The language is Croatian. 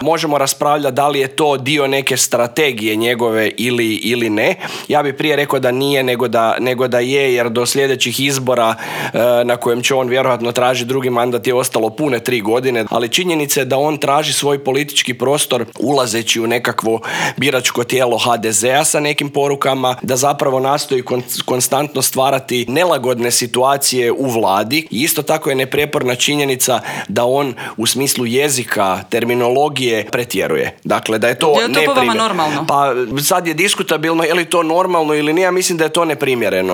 Možemo raspravljati da li je to dio neke strategije njegove ili ne. Ja bih prije rekao da nije nego da je, jer do sljedećih izbora na kojem će on vjerojatno traži drugi mandat je ostalo pune 3 godine, ali činjenica je da on traži svoj politički prostor ulazeći u nekakvo biračko tijelo HDZ-a sa nekim porukama, da zapravo nastoji konstantno stvarati nelagodne situacije u vladi. I isto tako je neprijeporna činjenica da on u smislu jezika, terminologije pretjeruje. Dakle, da je to po vama normalno? Pa sad je diskutabilno je li to normalno ili nije, ja mislim da je to neprimjereno.